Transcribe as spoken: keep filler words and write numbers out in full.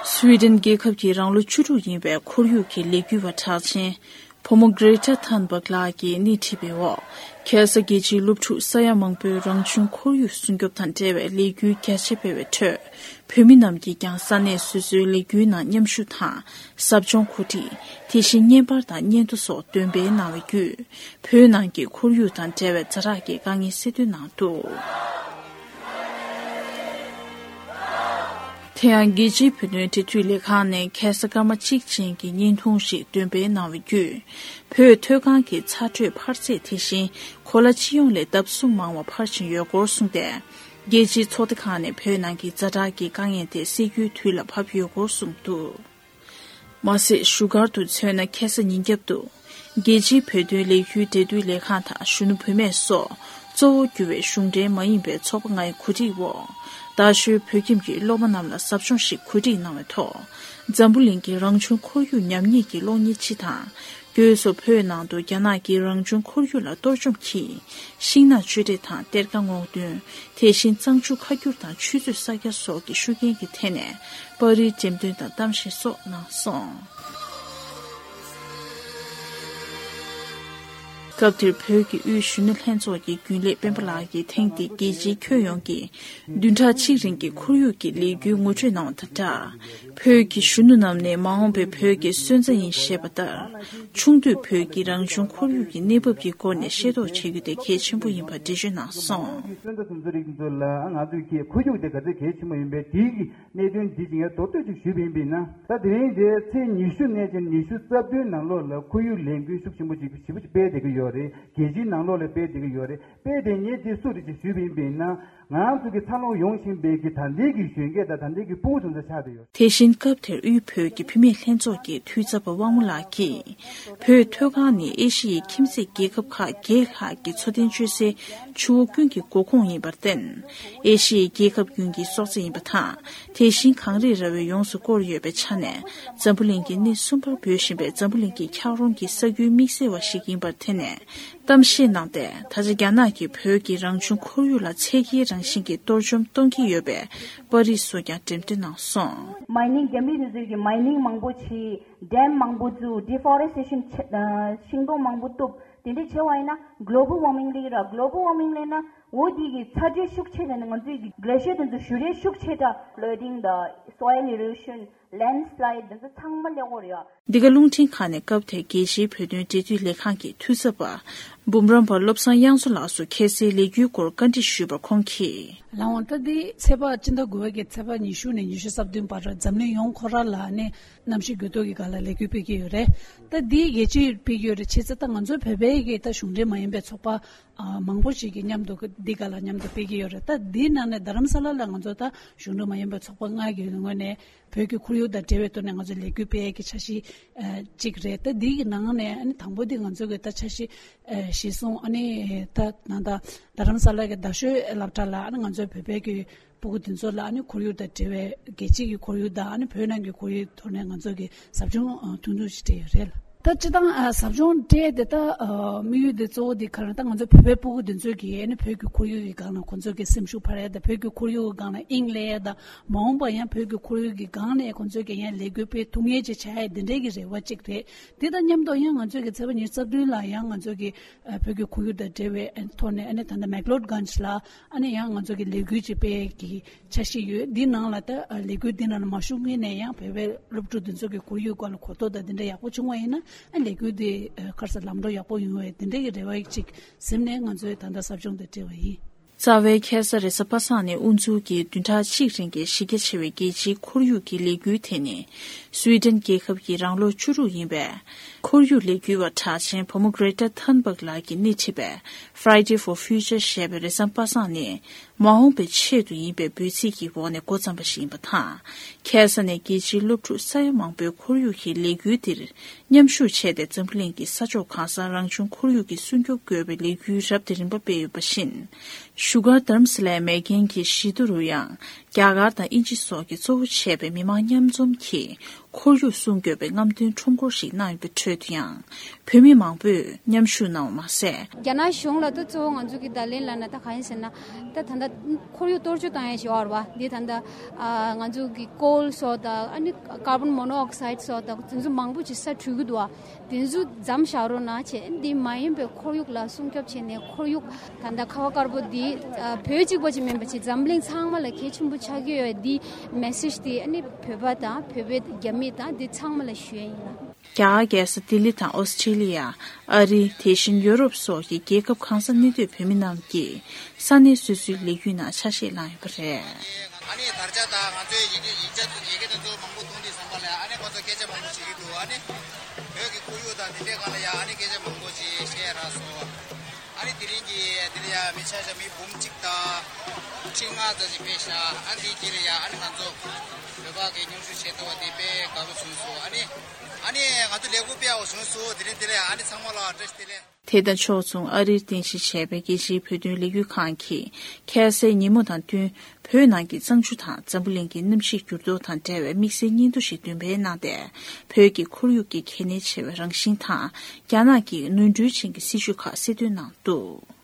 སུའེ་ཏེན་རྒྱལ་ཁབ་ཀྱི་རང་ལོ་བཅུ་དྲུག་ཡིན་པའི་ཁོར་ཡུག་གི་ལས་འགུལ་བ་གྲགས་ཅན་བུ་མོ་གྷེ་རེ་ཊ་ཐན་བྷག་ལགས་ཀྱིས་སྣེ་ཁྲིད་པའི་འོག་ཁ་སང་རྒྱལ་སྤྱིའི་སློབ་ཕྲུག་ས་ཡ་མང་པོས་རང་བྱུང་ཁོར་ཡུག་སྲུང་སྐྱོབ་དང་འབྲེལ་བའི་ལས་འགུལ་རྒྱ་ཆེ་སྤེལ་བའི་ཁྲོད། བོད་མི་རྣམས་ཀྱིས་ཀྱང་ས་གནས་སོ་སོའི་ལས་འགུལ་ནང་མཉམ་ཞུགས་དང་། ཟབ་སྦྱོང་གོ་སྒྲིག་དེ་བཞིན་བརྙན་པར་དང་བརྙན་ཐུང་སོགས་འདོན་སྤེལ་གནང་བའི་བརྒྱུད། བོད་ནང་གི་ཁོར་ཡུག་དང་འབྲེལ་བའི་ཛ་དྲག་གི་དཀའ་ངལ་གསལ་སྟོན་གནང་འདུག་དེ་ཡང་རྒྱལ་སྤྱིའི་བོད་དོན་འབྲེལ་མཐུད་ལས་ཁང་ནས་ཁ་སང་སྐར་མ་གཅིག་ཅན་གྱི་བརྙན་ཐུང་ཞིག་འདོན་སྤེལ་གནང་བའི་བརྒྱུད། བོད་མཐོ་སྒང་གི་ཚ་དྲོད་འཕར་ཚད་དེ་བཞིན་གོ་ལ་སྤྱི་ཡོངས་ལས་ལྡབ་གསུམ་མང་བ་འཕར་བཞིན་ཡོད་སྐོར་གསུངས་ཏེ། རྒྱལ་སྤྱིའི་ཚོགས་སྡེ་ཁག་ནས་བོད་ནང་གི་ཛ་དྲག་གི་དཀའ་ངལ་དེ་སེལ་རྒྱུའི་དུས་ལ་བབ་ཡོད་སྐོར་གསུངས་འདུག་མ་ཟད་བཞུགས་སྒར་དུ་མཚོན་ན་ཁ་སང་ཉིན་རྒྱབ་ཏུ། རྒྱལ་སྤྱིའི་བོད་དོན་ལས་འགུལ་འབྲེལ་མཐུད་ལས་ཁང་དང་གཞོན་ནུ་བུད་མེད་སོགས་གཙོ་བོ་གྱུར་བའི་གཞུང་འབྲེལ་མ་ཡིན་པའི་ཚོགས་པ་ལྔའི་གོ་སྒྲིག་འོག་རྡ་ཤོད་བོད་ཁྱིམ་གྱི་སློབ་མ་རྣམས་ལ་ཟབ་སྦྱོང་ཞིག་གོ་སྒྲིག་གནང་བའི་ཐོག་འཛམ་བུ་གླིང་གི་རང་བྱུང་ཁོར་ཡུག་ཉམས་ཉེས་ཀྱི་གློག་བརྙན་སྤྱི་དང་། སྒོས་སུ་བོད་ནང་དུ་རྒྱ་ནག་གིས་རང་བྱུང་ཁོར་ཡུག་ལ་གཏོར་བཅོམ་གྱིས། ཤིང་ནགས་གཅོད་འབྲེག་དང་གཏེར་ཁ་སྔོག་འདོན། དེ་བཞིན་གཙང་ཆུ་ཁ་བསྒྱུར་དང་ཆུ་མཛོད་གསར་རྒྱག་སོགས་ཀྱི་ཤུགས་རྐྱེན་གྱི་ཐད་ནས་པར་རིས་འགྲེམས་སྟོན་དང་གཏམ་བཤད་སོགས་གནང་སོང་། སྐབས་དེར་བོད་ཀྱི་དབུས་གཞོན་ནུ་ལྷན་ཚོགས་ཀྱི་རྒྱུན་ལས་སྤེན་པ་ལགས་ཀྱིས་ཐེངས་འདིའི་རྒྱལ་སྤྱིའི་ཁྱོན་ཡོངས་ཀྱི་བདུན་ཕྲག་གཅིག་རིང་གི་ཁོར་ཡུག་གི་ལས་འགུལ་ངོ་སྤྲོད་གནང་བ་དང་སྦྲགས། བོད་ཀྱི་གཞོན་ནུ་རྣམས་ནི་མ་འོངས་པའི་བོད་ཀྱི་སོན་རྩ་ཡིན་ཞེས་པ་ལྟར། ཆུང་དུས་བོད་ཀྱི་རང་བྱུང་ཁོར་ཡུག་གི་གནས་བབ་ཀྱི་སྐོར་ནས་ཤེས་རྟོགས་བྱེད་རྒྱུ་དེ་གལ་ཆེན་པོ་ཡིན་པར་འགྲེལ་བརྗོད་གནང་སོང་། སོན་རྩ་དེ་ཚོ་རིགས་དེ་ཚོ་ལ་ང་ཚོས་ཀྱི་ཁོར་ཡུག་དེ་ག་ཚོད་གལ་ཆེན་པོ་ཡིན་པའི་དེའི་གི་གནད་དོན་འདི་ཅིག་ངས་མདོར་བསྡུས་ཅིག་ཞུས་པ་ཡིན་པས་ན། ད་དེ་རིང་འདིར་ཚེས་ཉི་ཤུ་ནས་ཀྱང་ཉི་ཤུ་རྩ་བདུན་ནང་ལོགས་ལ་ཁོར་ཡུག་ལས་འགུལ་ཤུགས་ཆེན་པོ་ཅིག་ཞེ་པོ་ཅིག་སྤེལ་བསྡད་ཀྱི་ཡོད་རེད། རྒྱལ་སྤྱིའི་ནང་ལོགས་ལ་སྤེལ་བསྡད་ཀྱི་ཡོད་རེད། དཔེ་དེ་ངས་དེ་སུ་རེད་ཅེས་ཞུས་པ་ཡིན་པས་ན། ང་ཚོ་གི་འཚར་ལོངས་ཡོང་བཞིན་པའི་གི་ད་ལྟའི་གི་གཞོན་སྐྱེས་དང་ད་ལྟའི་གི་ཕྲུ་གུ་ཚོ་ཚོ་ཆགས་བསྡད་ཡོད། དེ་བཞིན་སྐབས་དེར་དབུས་བོད་ཀྱི་བུད་མེད་ལྷན་ཚོགས་ཀྱི་འཐུས་ཚབ་པ་དབང་མོ་ལགས་ཀྱིས། བོད་མཐོ་སྒང་ནི་ཨེ་ཤི་ཡའི་ཁྱིམ་མཚེས་རྒྱལ་ཁབ་ཁག་བརྒྱད་ལྷག་གི་འཚོ་རྟེན་སྤྱོད་སའི་ཆུ་བོ་ཀུན་གྱི་འགོ་ཁུངས་ཡིན་པར་བརྟེན། ཨེ་ཤི་ཡའི་རྒྱལ་ཁབ་ཀུན་གྱི་སྲོག་རྩ་ཡིན་པ་དང་། དེ་བཞིན་གངས་རི་ར་བས་ཡོངས་སུ་བསྐོར་ཡོད་པའི་ཆ་ནས། འཛམ་བུ་གླིང་གི་སྣེ་གསུམ་པར་འབོད་བཞིན་པའི་འཛམ་བུ་གླིང་གི་འཁྱགས་རོམ་གྱི་ས་ཁུལ་དམིགས་བསལ་བ་ཞིག་ཡིན་པར་དེ་ནས། གཏམ་བཤད་གནང་སྟེ། ད་ཆ་རྒྱ་ནག་གིས་བོད་ཀྱི་རང་བྱུང་ཁོར་ཡུག་ལ་ཚད་བརྒལ་རང་བཞིན་གྱི་གཏོར་བཅོམ་གཏོང་གི་ཡོད་པའི་པར་རིས་སོགས་ཀྱང་འགྲེམས་སྟོན་གནང་སོང་། མའི་ནིང་རྒྱ་མི་དེ་ཚོས་ཀྱི་མའི་ནིང་མང་པོ་བྱས། ཌེམ་མང་པོ་བཙུགས། ཌི་ཕོ་རེ་སི་ཊེ་ཤན་བྱས། ཤིང་སྡོང་མང་པོ་གཏུབ། དེ་འདྲ་བྱས་པ་ཡིན་ན་གློ་བལ་ཝར་མིང་སླེབས་ཀྱི་རེད། གློ་བལ་ཝར་མིང་སླེབས་ན་འོ་དེ་གི་ཚ་དྲོད་ཤུགས་ཆེ་དྲགས་ནས་ང་ཚོའི་གི་གླེ་ཤར་དེ་ཚོ་ཞུ་རེས་ཤུགས་ཆེ་དྲགས། ཕླ་ཌིང་དང་སོའིལ་ཨི་རོ་ཤན། ལེན་སི་ལའིཌ་དེ་ཚོ་ཚང་མ་སླེབས་ཀྱི་ཡོད་རེད། འདི་ག་རླུང་འཕྲིན་ཁང་ནས་སྐབས་དེར་རྒྱལ་སྤྱིའི་བོད་དོན་འབྲེལ་མཐུད་ལས་ཁང་གི་འཐུས་ཚབ་པ་འབུམ་རམས་པ་བློ་བཟང་དབྱངས་མཚོ་ལགས་སུ་ཁ་སའི་ལས་འགུལ་སྐོར་བཀའ་འདྲི་ཞུས་པར་ཁོང་གིས། ལགས་འོང་། ད་འདི་ཚེས་པ་སྤྱི་ཟླ་དགུ་པ་གི་ཚེས་པ་ཉི་ཤུ་ནས་ཉི་ཤུ་རྩ་བདུན་བར་འཛམ་གླིང་ཡོངས་ཁོ་རང་ལ་ནི་གནམ་གཤིས་འགྱུར་ལྡོག་གི་སྒང་ལ་ལས་འགུལ་སྤེལ་གྱི་ཡོད་རེད། ད་འདི་རྒྱལ་སྤྱིར་སྤེལ་གྱི་ཡོད་རེད། བྱས་ཙང་ད་ང་ཚོ་བོད་པའི་གི་ད་གཞུང་འབྲེལ་མ་ཡིན་པའི་ཚོགས་པ་ཨ་མང་པོ་ཞིག་གི་མཉམ་དུ་འདི་སྒང་ལ་མཉམ་དུ་སྤེལ་གྱི་ཡོད་རེད། ད་འདིའི་ནང་ནས་རྡ་རམ་ས་ལ་ལ་ང་ཚོ་ད་གཞུང་འབྲེལ་མ་ཡིན་པའི་ཚོགས་པ་ལྔ་གི་ངོས་ནས། བོད་ཀྱི་ཁོར་ཡུག་དང་འབྲེལ་བའི་ཐོག་ནས་ང་ཚོ་ལས་འགུལ་སྤེལ་ཡས་ཀྱི་འཆར་གཞི་ཨ་གཅིག་རེད། ད་འདི་གི་ནང་ནས་ཨ་ནི་དང་པོ་འདི་ང་ཚོ་གི་ད་འཆར་གཞི་ཨ་གཞིར་བཟུང་ཨ་ནི་ད་ནང་ད་རྡ་རམ་ས་ལ་གི་རྡ་ཤོད་སློབ་གྲྭ་ལ་ཨ་ནི་ང་ཚོའི་བོད་པའི་གི་སྤུ་གུ་འདི་ཚོ་ལ་ཨ་ནི་ཁོར་ཡུག་དང་འབྲེལ་བའི་རྒྱལ་སྤྱི་གི་ཁོར་ཡུག་དང་ཨ་ནི་བོད་ནང་གི་ཁོར་ཡུག་ཐོག་ནས་ང་ཚོ་གི་ཟབ་སྦྱོང་ཨ་ཐུང་ཐུང་ཞིག་སྤྲད་ཡོད་རེད་ལ། ད་སྤྱིར་བཏང་ཨ་ཟབ་སྦྱོང་སྤྲད་དེ་ད་ཨ་དམིགས་ཡུལ་དེ་གཙོ་བོ་དེ་ག་རེ་ད་ང་ཚོ་བོད་པའི་སྤུ་གུ་འདི་ཚོས་ཀྱི་ཨ་ནི་བོད་ཀྱི་ཁོར་ཡུག་གི་སྒང་ལ་ཁོང་ཚོས་ཀྱི་སེམས་ཤུགས་འཕར་ཡས་དང་བོད་ཀྱི་ཁོར་ཡུག་གི་སྒང་ལ་དབྱིངས་སླེབས་ཡས་དང་མ་འོངས་པ་ཡང་བོད་ཀྱི་ཁོར་ཡུག་གི་སྒང་ནས་ཁོང་ཚོས་ཀྱི་ཡང་ལས་འགུལ་སྤེལ་ཐུབ་ངེས་ཅིག་བྱ་ཡས་དེ་འདྲའི་གི་རེ་བ་གཅིག་རེད། དེ་དང་མཉམ་དུ་ཡང་ང་ཚོས་ཀྱི་ཚེས་པ་ཉི་ཤུ་རྩ་བདུན་ལ་ཡང་ང་ཚོས་ཀྱི་ཨ་བོད་ཀྱི་ཁོར་ཡུག་དང་འབྲེལ་བའི་ཨ་ཐོག་ནས་ཨ་ནི་ད་ལྟ་མེག་ལོར་གྷན་ཇི་ལ་ཨ་ནི་ཡང་ང་ཚོས་ཀྱི་ལས་འགུལ་ཅིག་སྤེལ་གྱི་འཆར་གཞི་ཡོད། འདི་ནང་ལ་ད་ཨ་ལས་འགུལ་འདི་ནང་ལ་མ་ཞུགས་སྔོན་ནས་ཡང་བོད་པའི་སློབ་ཕྲུག་འདི་ཚོ་གི་ཁོར་ཡུག་སྐོར་ལ་གོ་རྟོགས་དང་འདི་འདྲ་ཡག་པོ་བྱུང་བ་ཡིན་ན་ཨ་ལས་འགུལ་འདི་ཨ་ཁ་སང་ལམ་འགྲོ་ཡག་པོ་ཡོང་བའི་འདི་འདྲ་གི་རེ་བ་ཅིག་ཟིན་ནས་ང་ཚོས་ད་ལྟ་ཟབ་སྦྱོང་འདི་སྤྲད་པ་ཡིན། རྩ་བའི་ཁ་སང་རེས་གཟའ་པ་སངས་ནས་དབུ་འཛུགས་ཀྱིས་བདུན་ཕྲག་གཅིག་རིང་གི་གཞི་རྒྱ་ཆེ་བའི་རྒྱལ་སྤྱིའི་ཁོར་ཡུག་གི་ལས་འགུལ་དེ་ནི། སུའེ་ཏེན་རྒྱལ་ཁབ་ཀྱི་རང་ལོ་བཅུ་དྲུག་ཡིན་པའི། ཁོར་ཡུག་ལས་འགུལ་བ་གྲགས་ཅན་བུ་མོ་གྷེ་རེ་ཊ་ཐན་བྷག་ལགས་ཀྱིས་སྣེ་ཁྲིད་པའི། Friday for Future ཞེས་པའི་རེས་གཟའ་པ་སངས་ནི། མ་འོངས་པའི་ཆེད་དུ་ཡིན་པའི་འབོད་ཚིག་གི་འོག་ནས་འགོ་བརྩམས་པ་ཞིག་ཡིན་པ་དང་། ཁ་སང་ནས་རྒྱལ་སྤྱིའི་སློབ་ཕྲུག་ས་ཡ་མང་པོས་ཁོར་ཡུག་གི་ལས་འགུལ་འདིར། མཉམ་ཞུགས་བྱས་ཏེ་འཛམ་བུ་གླིང་གི་ས་ཕྱོགས་གང་སར་རང་བྱུང་ཁོར་ཡུག་གི་སྲུང་སྐྱོབ་དགོས་པའི་ལས་འགུལ་རབ་དང་རིམ་པ་སྤེལ་ཡོད་པ་བཞིན། བཞུགས་སྒར་དྷ་རམ་ས་ལའི་མེག་གྷན་གྱི་བཞི་མདོ་རུ་ཡང་རྒྱ་གར་དང་དབྱིན་ཇི་སོགས་ཀྱིས་གཙོ་བོ་བྱས་པའི་མི་མང་མཉམ་འཛོམས་ཀྱིས་ ཁོར་ཡུག་སྲུང་སྐྱོབ་པའི་རྔམ་སྟོན་ཁྲོམ་སྐོར་ཞིག་གནང་ཡོད་པའི་ཁྲོད་དུ་ཡང་། བོད་མི་མང་པོས་མཉམ་ཞུགས་གནང་བ་མ་ཟད། རྒྱ་ནག་གཞུང་ལ་ད་གཙོ་བོ་ང་ཚོ་གི་ད་ལན་ལབ་ན་ད་གང་ཡིན་ཟེར་ན། ད་ད་ལྟ་ཁོར་ཡུག་གཏོར་བཅོས་བཏང་ཡ་ཞིག་ཡོད་རེད་བ། འདི་ད་ལྟ་ཨ་ང་ཚོ་གི་ཀོལ་སོགས་དང་ཨ་ནི་ཀར་བོན་མོ་ནོ་ཨོག་སའིད་སོགས་དང་དེ་ཚོ་མང་པོ་ཅིག་ས་འཕྲུལ་གྱི་འདུག་བ། དེ་ཚོ་མཚམས་བཞག་རོགས་གནང་བྱས། འདི་མ་ཡིན་པའི་ཁོར་ཡུག་ལ་སྲུང་སྐྱོབ་བྱས་ནས། ཁོར་ཡུག་ད་ལྟ་ཁ་བ་དཀར་པོ་འདི་ཨ་བོད་གཅིག་པ་ཅིག་མིན་པ་ཅིག་འཛམ་གླིང་ཚང་མ་ལ་གལ་ཆེན་པོ་ཆགས་ཀྱི་ཡོད། འདི་མེ་སེཇ་འདི་ཨ་ནི་བོད་པ་དང་བོད་པའི་རྒྱ་མི་དང་འདི་ཚང་མ་ལ་ཞུ་ཡ་ཡིན་ལ། རྒྱ་གར་རྒྱལ་ས་ལྡི་ལི་དང་ཨོ་སི་ཁྲི་ལི་ཡ། ཨ་རི། དེ་བཞིན་ཡོ་རོབ་སོགས་ཀྱི་རྒྱལ་ཁབ་གང་སར་གནས་སྡོད་བོད་མི་རྣམས་ཀྱིས་ས་གནས་སོ་སོའི་ལས་ཡུལ་ནང་ཆ་ཤས་བླངས་ཡོད་པ་རེད། ཨ་ནི་དར་ཆ་དང་ང་ཚོའི་ཡི་གེ་ཡིག་ཆ་ཚོ་ཡི་གེ་དེ་ཚོ་མང་པོ་མཐོང་དུས་ཙམ་པ་ལ། ཨ་ནི་ཁོ་ཚོ་སྐད་ཆ་མང་པོ་བྱེད་ཀྱི་འདུག་ཨ་ནི་བོད་ཀྱི་ཁོར་ཡུག་དང་དེ་འདྲའི་སྒང་ལ་ཡ་ཨ་ནི་སྐད་ཆ་མང་པོ་ཅིག་བཤད་རག་སོང་། ཨ་ནི་དེ་རིང་གི་དེ་ལ་ཡ་མི་ཆ་ཤས་མི་འབུམ་གཅིག་དང་ཁྲི་ལྔ་ཙམ་ཞིག་ཕེབས་ཤག་ཨ་ནི་དེའི་རྗེས་ལ་ཡ་ཨ་ནི་ང་ཚོ་བོད་པ་གི་མཉམ་ཞུགས་བྱས་འདུག་བ། དེ་དཔེ་དགའ་པོ་བྱུང་སོང་། ཨ་ནི་ཨ་ནི་ང་ཚོ་ལེགས་པོ་དཔེ་ཡག་པོ་བྱུང་སོང་། དེ་རིང་དེ་ལ་ཡ་ཨ་ནི་ཚང་མ་ལ་བཀྲ་ཤིས་བདེ་ལེགས། དེ་དང་ཕྱོགས་མཚུངས། ཨ་རིར་རྟེན་གཞི་བྱས་པའི་རྒྱལ་སྤྱིའི་བོད་དོན་ལས་འགུལ་ཁང་གིས་ཁ་སང་ཉིན་མོ་དང་བསྟུན། བོད་ནང་གི་གཙང་ཆུ་དང་འཛམ་བུ་གླིང་གི་གནམ་གཤིས་འགྱུར་ལྡོག་དང་འབྲེལ་བའི་དམིགས་བསལ་སྙན་ཐོ་ཞིག་འདོན་སྤེལ་གནང་སྟེ། བོད་ཀྱི་ཁོར་ཡུག་གི་གལ་གནད་ཆེ་བའི་རང་བཞིན་དང་། རྒྱ་ནག་གི་ནོར་འཁྲུལ་ཅན་གྱི་སྲིད་བྱུས་ཁག་གསལ་སྟོན་གནང་འདུག